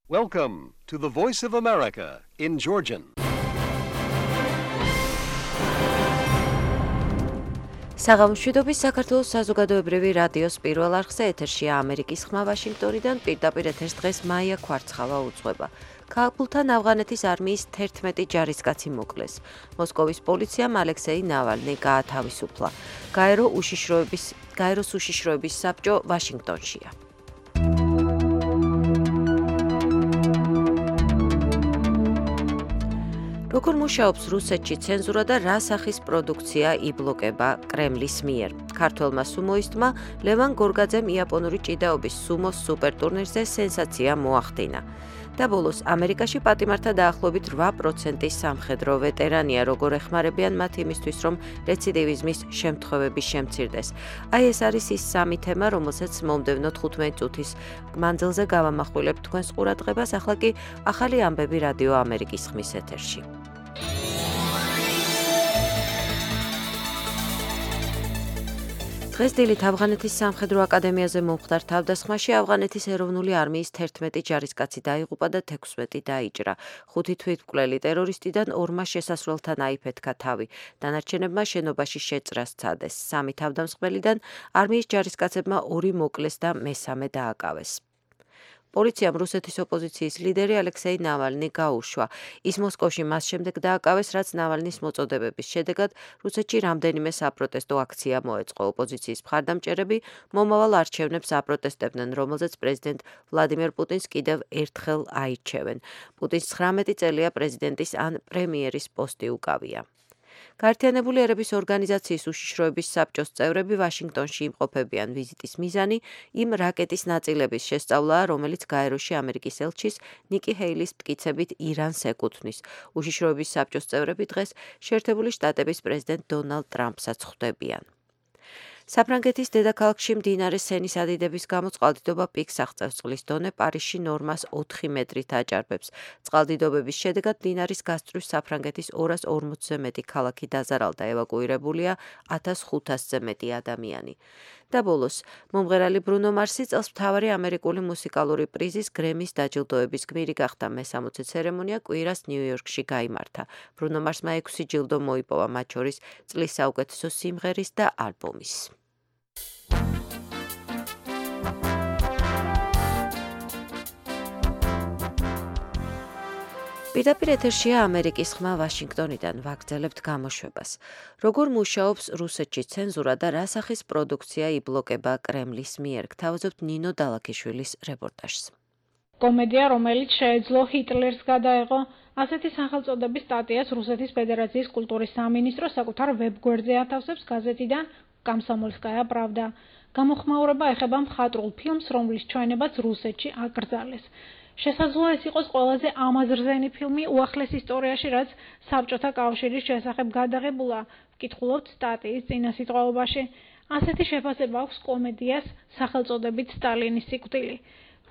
Welcome to the Voice of America in Georgian. საღამოშვიდობის საქართველოს საზოგადოებრივი რადიოს პირველ არხზე ეთერშია ამერიკის ხმა ვაშინგტონიდან პირდაპირ ეთერს დღეს მაია ქვარცხალა უძღვება. ქალბულთან ავღანეთის არმიის 11 ჯარისკაცი მოკლეს. მოსკოვის პოლიციამ ალექსეი ნავალნი გაათავისუფლა. გაეროს უშიშროების საბჭო ვაშინგტონშია. როგორ მუშაობს რუსეთში ცენზურა და რა სახის პროდუქცია იბლოკება კრემლის მიერ. ქართველმა სუმოისტმა ლევან გორგაძემ იაპონური ჭიდაობის სუმოს სუპერტურნირზე სენსაცია მოახდინა. და ბოლოს ამერიკაში პატიმართა დაახლოებით 8% სამხედრო ვეტერანია, როგორ ეხმარებიან მათ იმისთვის, რომ რეციდივიზმის შემთხვევები შემცირდეს. აი ეს არის ის სამი თემა, რომელსაც მომდევნო 15 წუთის მანძილზე გავამახვილებთ თქვენს ყურადღებას, ახლა კი ახალი ამბები რადიო ამერიკის ხმის ეთერში. დღეს დილით ავღანეთის სამხედრო აკადემიაზე მომხდარ თავდასხმაში ავღანეთის ეროვნული არმიის 11 ჯარისკაცი დაიღუპა და 16 დაიჭრა. 5 თვითმკვლელი ტერორისტიდან 2-მა შესასვლელთან აიფეთქა თავი. დანარჩენებმა შენობაში შეწრა სცადეს. 3 თავდამსხმელიდან არმიის ჯარისკაცებმა 2 მოკლეს და მესამე დააკავეს. პოლიციამ რუსეთის ოპოზიციის ლიდერი ალექსეი ნავალნი გაუშვა. ის მოსკოვში მას შემდეგ დააკავეს, რაც ნავალნის მოწოდებების შედეგად რუსეთში რამდენიმე საპროტესტო აქცია მოეწყო. ოპოზიციის მხარდამჭერები მომავალ არჩევნებს აპროტესტებდნენ, რომელზეც პრეზიდენტ ვლადიმერ პუტინს კიდევ ერთხელ აირჩევენ. პუტინს 19 წელია პრეზიდენტის ან პრემიერის პოსტი უკავია. გაერთიანებული ერების ორგანიზაციის უშიშროების საბჭოს წევრები ვაშინგტონში იმყოფებიან. ვიზიტის მიზანი იმ რაკეტის ნაწილების შესწავლაა, რომელიც გაეროში ამერიკის ელჩის ნიკი ჰეილის მტკიცებით ირანს ეკუთვნის. უშიშროების საბჭოს წევრები დღეს შეერთებული შტატების პრეზიდენტ დონალდ ტრამპსაც ხვდებიან. საფრანგეთის დედაქალაქში მდინარე სენის ადიდების გამო წყალდიდობა პიკს აღწევს. წყლის დონე პარიზში ნორმას 4 მეტრით აჭარბებს. წყალდიდობების შედეგად მდინარის გასწვრივ საფრანგეთის 240-ზე მეტი ქალაქი დაზარალდა, ევაკუირებულია 1500-ზე მეტი ადამიანი. და ბოლოს, მომღერალი ბრუნო მარსი წელს მთავარი ამერიკული მუსიკალური პრიზის გრემის დაჯილდოების გმირი გახდა. მე-60 ცერემონია კვირას ნიუ-იორკში გაიმართა. ბრუნო მარსმა 6 ჯილდო მოიპოვა, მათ შორის წლის საუკეთესო სიმღერის და ალბომის. პირდაპირ ეთერშია ამერიკის ხმა ვაშინგტონიდან, ვაგრძელებთ გამოშვებას. როგორ მუშაობს რუსეთში ცენზურა და რა სახის პროდუქცია იბლოკება კრემლის მიერ, გთავაზობთ ნინო დალაქიშვილის რეპორტაჟს. კომედია, რომელიც შეეძლო ჰიტლერს გადაეღო, ასეთი სახელწოდების სტატიას რუსეთის ფედერაციის კულტურის სამინისტრო საკუთარ ვებგვერდზე ათავსებს გაზეთიდან კომსომოლსკაია პრავდა. გამოხმაურება ეხება მხატვრულ ფილმს, რომლის ჩვენებაც რუსეთში აკრძალეს. შესაძლოა ეს იყოს ყველაზე ამაზრზენი ფილმი უახლეს ისტორიაში, რაც საბჭოთა კავშირის შესახებ გადაღებულა, ვკითხულობთ სტატიის წინასიტყვაობაში. ასეთი შეფასება აქვს კომედიას სახელწოდებით სტალინის სიკვდილი.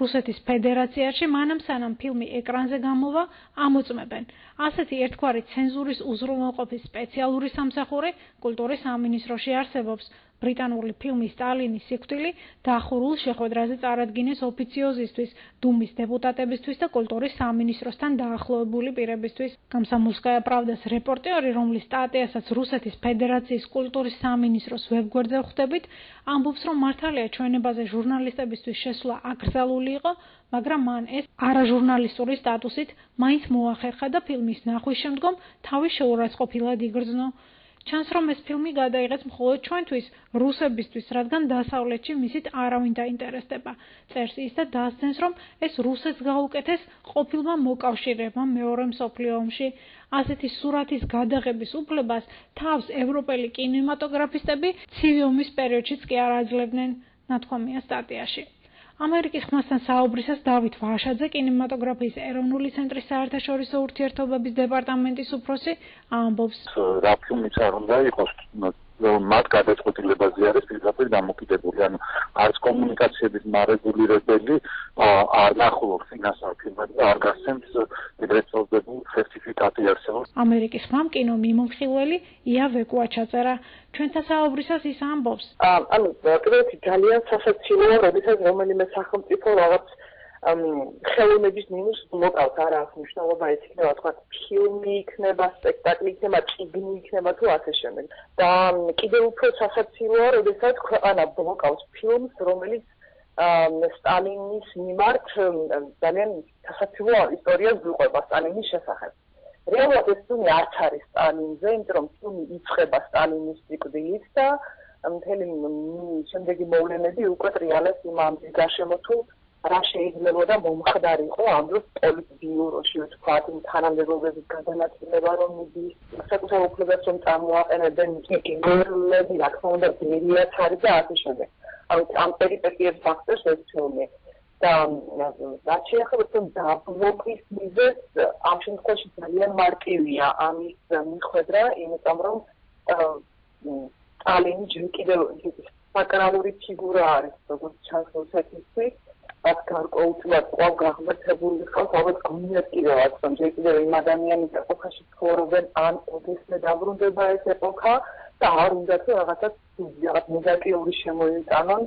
რუსეთის ფედერაციაში მანამ სანამ ფილმი ეკრანზე გამოვა, ამოწმებენ. ასეთი ერთგვარი ცენზურის უზრუნველყოფის სპეციალური სამსახური კულტურის სამინისტროში არსებობს. ბრიტანული ფილმი სტალინის სიკვდილი დახურულ შეხვედრაზე წარადგინეს ოფიციოზისთვის, დუმის დეპუტატებისთვის და კულტურის სამინისტროსთან დაახლოებული პირებისთვის. კომსომოლსკაია პრავდას რეპორტიორი, რომლის სტატიასაც რუსეთის ფედერაციის კულტურის სამინისტროს ვებგვერდზე ხვდებით, ამბობს, რომ მართალია ჩვენებაზე ჟურნალისტებისთვის შესვლა აკრძალული იყო, მაგრამ მან ეს არაჟურნალისტური სტატუსით მაინც მოახერხა და ფილმის ნახვის შემდგომ თავი შეურაცხყოფილად იგრძნო. ჩანს, რომ ეს ფილმი გადაიღეს მხოლოდ ჩვენთვის, რუსებისთვის, რადგან დასავლეთში მისით არავინ დაინტერესდება. წერს ის და დასძენს, რომ ეს რუსეთს გაუკეთეს ყოფილმა მოკავშირეებმა მეორე მსოფლიო ომში. ასეთი სურათის გადაღების უფლებას თავს ევროპელი კინემატოგრაფისტები ცივი ომის პერიოდშიც კი არ აძლევდნენ, ნათქვამია სტატიაში. ამერიკის ხმასთან საუბრისას დავით ვაშაძე, კინემატოგრაფიის ეროვნული ცენტრის საერთაშორისო ურთიერთობების დეპარტამენტის უფროსი, ამბობს. რა ფილმიც არ უნდა იყოს, მათ გადაწყვეტილებაზე არის პირდაპირ დამოკიდებული. ანუ არც კომუნიკაციების მარეგულირებელი არ ნახულობს ინასალ ფილმებს და არ გასცემს ეგრეთ წოდებულ სერტიფიკატი არსებობს. ამერიკის ხმამ კინო მიმოხილველი ია ვეკუა ჩაწერა. ჩვენთან საუბრისას ის ამბობს. ანუ პირველი ძალიან სასაცილოა, როდესაც რომელიმე სახელმწიფო რაღაც ხელოვნების მინუს მოკავს არა აქვს მნიშვნელობა ეს იქნება თქვა ფილმი იქნება სპექტაკლი იქნება წიგნი იქნება თუ ასე შემდეგ და კიდევ უფრო სასაცილოა როდესაც ქვეყანა ბლოკავს ფილმს რომელიც სტალინის მიმართ ძალიან სასაცილო ისტორიას გვიყვება სტალინის შესახებ რეალურად ეს ფილმი არც არის სტალინზე იმიტომ რომ ფილმი იწყება სტალინის სიკვდილით და მთელი შემდეგი მოვლენები უკვე ტრიალებს იმ ამბის გარშემო თუ რა შეიძლება მომხდარიყო ამ დროს პოლიტბიუროში ვთქვათ იმ თანამდებობების გადანაწილება რომ მიდის საკუთარ უფლებებს რომ წარმოაყენებდნენ გენერლები რა თქმა უნდა ბერიაც არის და ასე შემდეგ ამ პერიპეტიებს ფაქტორს ეს ფილმი და რაც შეეხება თუნ დაბლოკის მიზეზს ამ შემთხვევაში ძალიან მარტივია ამის მიხედვა იმიტომ რომ სტალინი ჯერ კიდევ საკრალური ფიგურა არის როგორც ჩანს რუსეთისთვის რაც გარკვეულწილად კვლავ გაღმერთებული ხალხს ალბათ გონიათ კიდევაც რომ ჯერ კიდევ იმ ადამიანის ეპოქაში ცხოვრობენ ან ოდესმე დაბრუნდება ეს ეპოქა და არ უნდა თუ რაღაცა ნეგატიური შემოიტანონ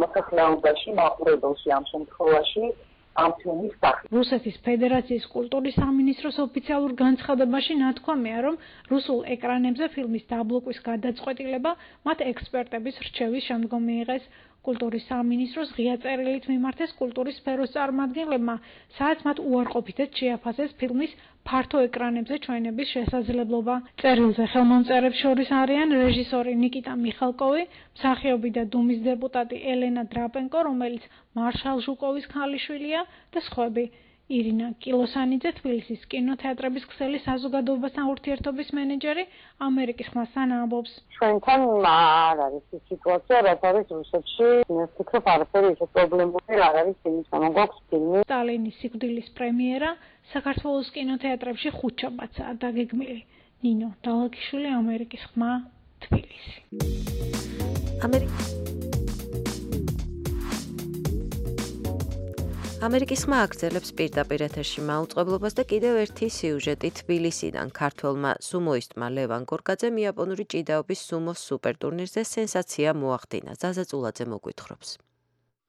მოსახლეობაში მაყურებელში ამ შემთხვევაში ამ ფილმის სახით. რუსეთის ფედერაციის კულტურის სამინისტროს ოფიციალურ განცხადებაში ნათქვამია, რომ რუსულ ეკრანებზე ფილმის დაბლოკვის გადაწყვეტილება მათ ექსპერტების რჩევის შემდგომ მიიღეს. კულტურის სამინისტროს ღია წერილით მიმართეს კულტურის სფეროს წარმომადგენლებმა, სადაც მათ უარყოფითად შეაფასეს ფილმის ფართო ეკრანებზე ჩვენების შესაძლებლობა. წერილზე ხელმომწერებს შორის არიან რეჟისორი ნიკიტა მიხალკოვი, მსახიობი და დუმის დეპუტატი ელენა დრაპენკო, რომელიც მარშალ ჟუკოვის ქალიშვილია და სხვები. ირინა კილოსანიძე, თბილისის კინოთეატრების ქსელის საზოგადოებასთან ურთიერთობის მენეჯერი, ამერიკის ხმასთან ამბობს. ჩვენთან არ არის ის სიტუაცია, რაც არის რუსეთში. მე ვფიქრობ, არაფერი ისე პრობლემური არ არის იმის გამო გვაქვს ფილმი. სტალინის სიკვდილის პრემიერა საქართველოს კინოთეატრებში ხუთშაბათსაა დაგეგმილი. ნინო დალაკიშვილი, ამერიკის ხმა, თბილისი. ამერიკის ხმა აგრძელებს პირდაპირ ეთერში მაუწყებლობას და კიდევ ერთი სიუჟეტი თბილისიდან ქართველმა სუმოისტმა ლევან გორგაძემ იაპონური ჭიდაობის სუმოს სუპერტურნირზე სენსაცია მოახდინა. ზაზა წულაძე მოგვითხრობს.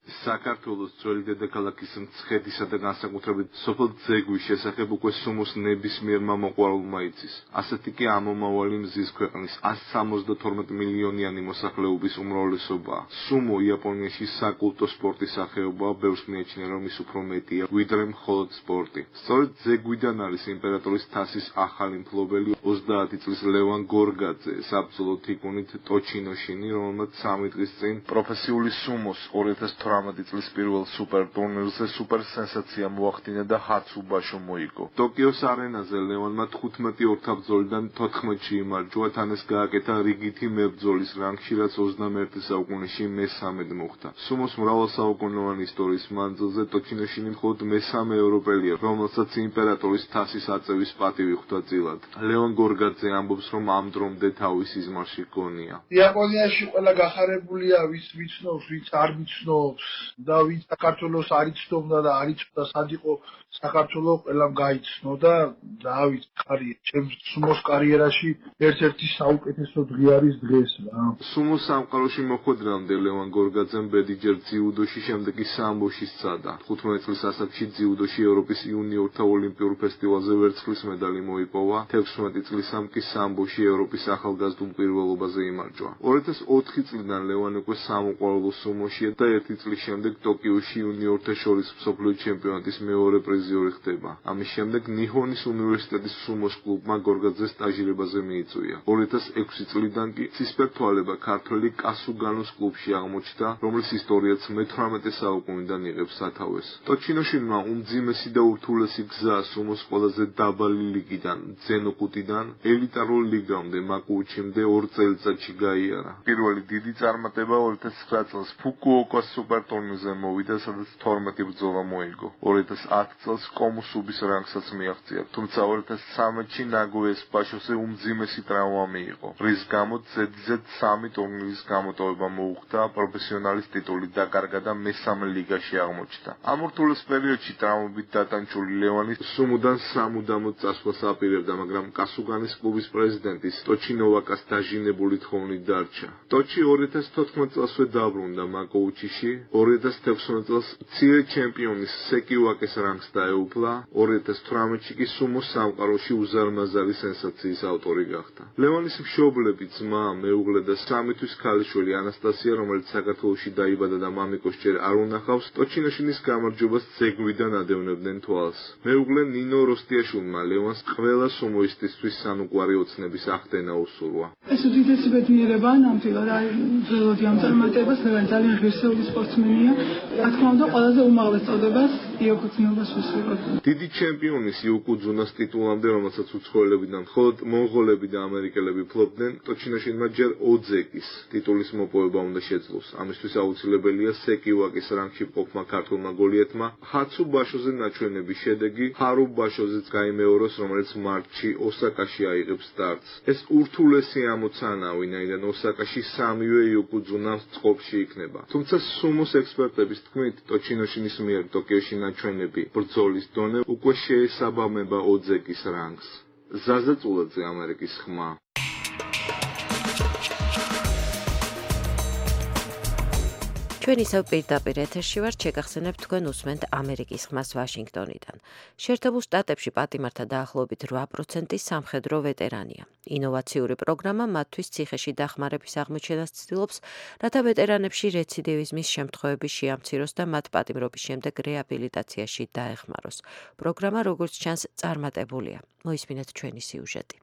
საქართველოს ძველი დედაქალაქის მცხეთისა და განსაკუთრებით სოფელ ძეგვის შესახებ უკვე სუმოს ნებისმიერმა მოყვარულმა იცის. ასეთი კი ამომავალი მზის ქვეყნის 172 მილიონიანი მოსახლეობის უმრავლესობაა. სუმო იაპონიაში საკულტო სპორტის სახეობაა, ბევრს მიაჩნია რომ ის უფრო მეტია, ვიდრე მხოლოდ სპორტი. სწორედ ძეგვიდან არის იმპერატორის თასის ახალი მფლობელი 30 წლის ლევან გორგაძე, საბრძოლო თიკუნით ტოჩინოშინი, რომელმაც 3 დღის წინ პროფესიული სუმოს 2018 წლის პირველ სუპერ ტურნირზე სუპერ სენსაცია მოახდინა და ჰაცუბაშო მოიგო. ტოკიოს არენაზე ლევანმა 15 ორთაბრძოლიდან 14-ში იმარჯვა, თან ეს გააკეთა რიგითი მებრძოლის რანგში, რაც 21 საუკუნეში მესამედ მოხდა. სუმოს მრავალსაუკუნოვანი ისტორიის მანძილზე ტოჩინოშინი მხოლოდ მესამე ევროპელია, რომელსაც იმპერატორის თასის აწევის პატივი ხვდა წილად. ლევან გორგაძე ამბობს, რომ ამ დრომდე თავის იზმარში გონია. იაპონიაში ყველა გახარებულია, ვის ვიცნობს, ვიც არ ვიცნობს. და ვინც საქართველოს არ იცნობდა და არ იცოდა სად იყო საქართველოს ყველამ გაიცნო და დავით ხარი ჩემს სუმოს კარიერაში ერთ-ერთი საუკეთესო დღე არის დღეს რა. სუმოს სამყაროში მოხვედრამდე ლევან გორგაძემ ბედიჯერ ძიუდოში, შემდეგ კი სამბოში სცადა. 15 წლის ასაკში ძიუდოში ევროპის იუნიორთა ოლიმპიურ ფესტივალზე ვერცხლის медаლი მოიპოვა, 16 წლისამ კი სამბოში ევროპის ახალგაზრდულ პირველობაზე იმარჯვა. 2004 წლიდან ლევან უკვე სამოყვარულო სუმოშია და 1 წლის შემდეგ ტოკიოში იუნიორთა შორის მსოფლიო ჩემპიონატის მეორე პრიზიორი ხდება. ამის შემდეგ ნიჰონის უნივერსიტეტის სუმოს კლუბმა გორგაძეს სტაჟირებაზე მიიწვია. 2006 წლიდან კი ცისფერთვალება ქართველი კასუგანოს კლუბში აღმოჩნდა, რომლის ისტორიაც მე-18 საუკუნიდან იღებს სათავეს. ტოჩინოშინმა უმძიმესი და ურთულესი გზა სუმოს ყველაზე დაბალი ლიგიდან, ძენოკუტიდან, ელიტარულ ლიგამდე, მაკუჩიმდე 2 წელიწადში გაიარა. პირველი დიდი წარმატება 2009 წელს ფუკუოკას სუპერტურნირზე მოვიდა, სადაც 12 ბრძოლა მოიგო. 2010 წელს კომუსუბის რანგსაც მიაღწია, თუმცა 2013-ში ნაგოიას ბაშოზე უმძიმესი ტრავმა მიიღო, რის გამოც ზედიზედ 3 ტურნირის გამოტოვება მოუხდა, პროფესიონალის ტიტული დაკარგა და მესამე ლიგაში აღმოჩნდა. ამ ურთულეს პერიოდში ტრავმებით დატანჩული ლევანი სუმოდან სამუდამოდ წასვლას აპირებდა, მაგრამ კასუგანის კლუბის პრეზიდენტის ტოჩინოვაკას დაჟინებული თხოვნით დარჩა. ტოჩი 2014 წელსვე დაბრუნდა მაკოუჩიში, 2016 წელს მცირე ჩემპიონის სეკი ვაკეს რანგს დაეუფლა, 2018-ში კი სუმოს სამყაროში უზარმაზარი სენსაციის ავტორი გახდა. ლევანის მშობლები, ძმა, მეუღლე და 3 თვის ქალიშვილი ანასტასია, რომელიც საქართველოში დაიბადა და მამიკოს ჯერ არ უნახავს, ტოჩინოშინის გამარჯვებას ძეგლიდან ადევნებდნენ თვალს. მეუღლე ნინო როსტიაშვილმა ლევანს ყველა სუმოისტისთვის სანუკვარი ოცნების ახდენა უსურვა. ეს უდიდესი ბედნიერება ნამდვილად ველოდი ამ წარმატებას, ლევანი ძალიან ღირსეული სპორტსმენია. რა თქმა უნდა, ყველაზე უმაღლეს წოდებას იოკუძუნობას უსურვოთ. დიდი ჩემპიონის იოკუძუნას ტიტულამდე, რომელსაც უცხოელებიდან მხოლოდ მონღოლები და ამერიკელები ფლობდნენ, ტოჩინოშინმა ჯერ ოძეკის ტიტულის მოპოვება უნდა შეძლოს. ამისთვის აუცილებელია სეკი ვაკის რანგში მყოფმა ქართულმა გოლიეთმა ჰაცუ ბაშოზე ნაჩვენების შედეგი ჰარუ ბაშოზეც გაიმეოროს, რომელიც მარტში ოსაკაში აიღებს სტარტს. ეს ურთულესი ამოცანა, ვინაიდან ოსაკაში 3-ვე იოკუძუნა წყობში იქნება. თუმცა სუმოს ექსპერტების თქმით, ტოჩინოშინის მიერ ტოკიოში ნაჩვენები ბრძოლის დონე უკვე შეესაბამება ოძეკის რანგს. ზაზა წულაძე, ამერიკის ხმა. ჩვენ ისევ პირდაპირ ეთერში ვართ, შეგახსენებთ თქვენ უსმენთ ამერიკის ხმას ვაშინგტონიდან. შეერთებულ შტატებში პატიმართა დაახლოებით 8% სამხედრო ვეტერანია. ინოვაციური პროგრამა მათთვის ციხეში დახმარების აღმოჩენას ცდილობს, რათა ვეტერანებში რეციდივიზმის შემთხვევები შეამციროს და მათ პატიმრობის შემდეგ რეაბილიტაციაში დაეხმაროს. პროგრამა, როგორც ჩანს, წარმატებულია. მოისმინეთ ჩვენი სიუჟეტი.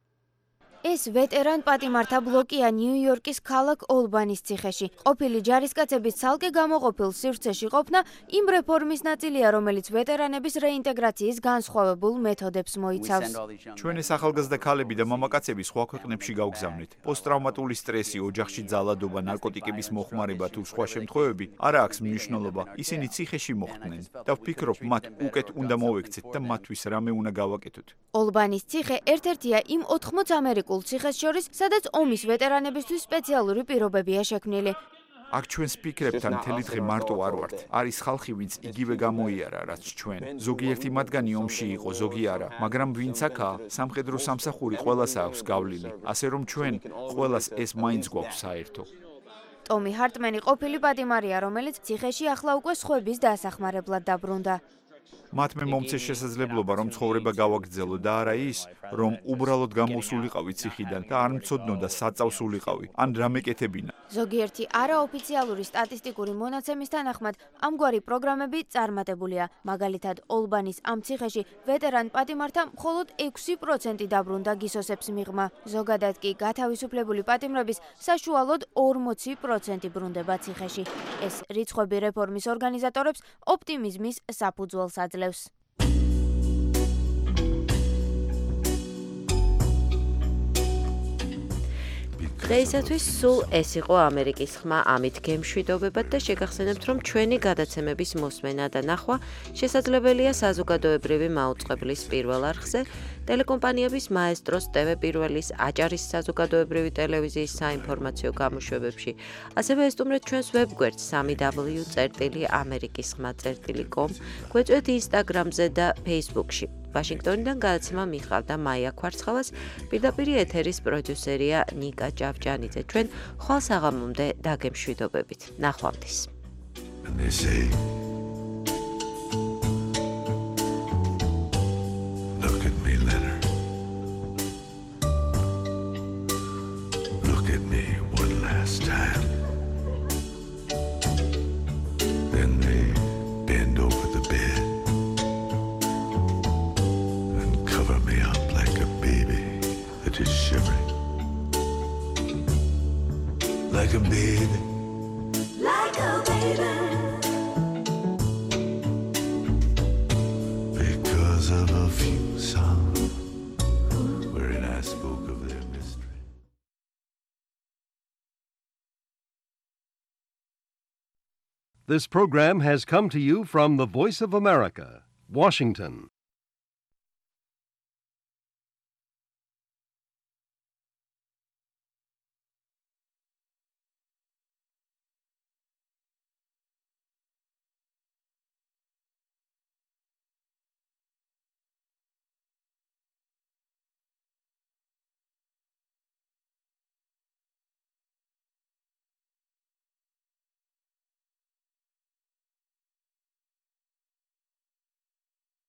ეს ვეტერან პატიმართა ბლოკია ნიუ-იორკის ქალაქ ოლბანის ციხეში. ყოფილი ჯარისკაცების ცალკე გამოყოფილ სივრცეში ყოფნა იმ რეფორმის ნაწილია, რომელიც ვეტერანების რეინტეგრაციის განსხვავებულ მეთოდებს მოიცავს. ჩვენი ახალგაზრდა ქალები და მამაკაცები სხვა ქვეყნებში გავგზავნით. პოსტტრავმატული სტრესი, ოჯახში ძალადობა, ნარკოტიკების მოხმარება თუ სხვა შემთხვევები არ აქვს მნიშვნელობა. ისინი ციხეში მოხვდნენ და ვფიქრობ, მათ უკეთ უნდა მოვექცეთ და მათთვის რამე უნდა გავაკეთოთ. ოლბანის ციხე ერთ-ერთია იმ 80 ამერიკულ ციხეს შორის, სადაც ომის ვეტერანებისთვის სპეციალური პირობებია შექმნილი. აქ ჩვენს ფიქრებთან მთელი დღე მარტო არ ვართ. არის ხალხი, ვინც იგივე გამოიარა, რაც ჩვენ. ზოგიერთი მათგანი ომში იყო, ზოგი არა, მაგრამ ვინც აქაა, სამხედრო სამსახური ყველას აქვს გავლილი. ასე რომ ჩვენ ყველას ეს მაინც გვაქვს საერთო. ტომი ჰარტმენი ყოფილი პატიმარია, რომელიც ციხეში ახლა უკვე სხვების დასახმარებლად დაბრუნდა. მათ მე მომცეს შესაძლებლობა, რომ ცხოვრება გავაგრძელო და არა ის, რომ უბრალოდ გამოსულიყავი ციხიდან და არ მცოდნოდა საწავსულიყავი, ან რამე კეთებინა. ზოგიერთი არაოფიციალური სტატისტიკური მონაცემის თანახმად, ამგვარი პროგრამები წარმატებულია. მაგალითად, ოლბანის ამ ციხეში ვეტერან პატიმართა მხოლოდ 6% დაბრუნდა გისოსებს მიღმა. ზოგადად კი გათავისუფლებული პატიმრების საშუალოდ 40% ბრუნდება ციხეში. ეს რიცხვები რეფორმის ორგანიზატორებს ოპტიმიზმის საფუძველს აძლევს. დღეისათვის სულ ეს იყო ამერიკის ხმა, ამით გემშვიდობებად და შეგახსენებთ, რომ ჩვენი გადაცემების მოსმენა და ნახვა შესაძლებელია საზოგადოებრივი მაუწყებლის პირველ არხზე, ტელეკომპანიების მაესტროს, TV პირველის, აჭარის საზოგადოებრივი ტელევიზიის საინფორმაციო გამოშვებებში. ასევე ესტუმრეთ ჩვენს ვებგვერდს www.amerikisxma.com, გვეწვეთ ინსტაგრამზე და ფეისბუქში. ვაშინგტონიდან გადაცემა მიხავდა მაია ქვარცხალას, პირდაპირ ეთერის პროდიუსერია ნიკა ჭავჭანიძე. ჩვენ ხვალ საღამომდე დაგემშვიდობებით. ნახვამდის. Look at me, Leonard. Look at me one last time. Then they bend over the bed and cover me up like a baby that is shivering. Like a baby. Like a baby. Because of a few songs wherein I spoke of their mystery. This program has come to you from the Voice of America, Washington.